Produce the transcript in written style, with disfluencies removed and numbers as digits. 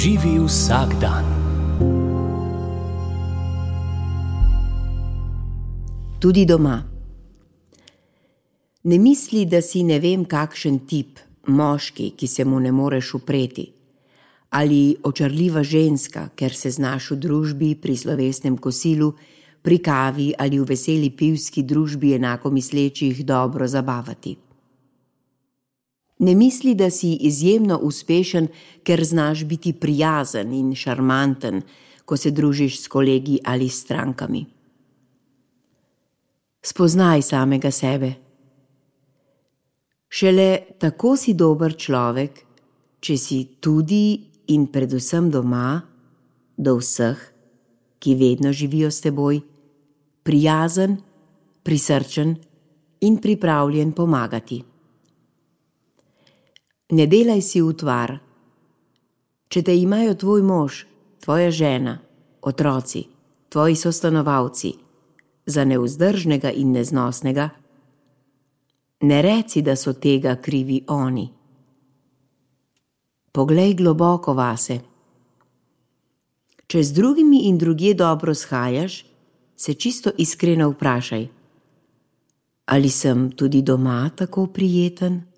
Živi vsak dan. Tudi doma. Ne misli, da si ne vem kakšen tip, moški, ki se mu ne moreš upreti, ali očarljiva ženska, ker se znaš v družbi pri slovesnem kosilu, pri kavi ali v veseli pivski družbi enako mislečih dobro zabavati. Ne misli, da si izjemno uspešen, ker znaš biti prijazen in šarmanten, ko se družiš s kolegi ali s strankami. Spoznaj samega sebe. Šele tako si dober človek, če si tudi in predvsem doma, do vseh, ki vedno živijo s teboj, prijazen, prisrčen in pripravljen pomagati. Ne delaj si utvar. Če te imajo tvoj mož, tvoja žena, otroci, tvoji sostanovalci za nevzdržnega in neznosnega, ne reci, da so tega krivi oni. Poglej globoko vase. Če z drugimi in drugje dobro shajaš, se čisto iskreno vprašaj, ali sem tudi doma tako prijeten?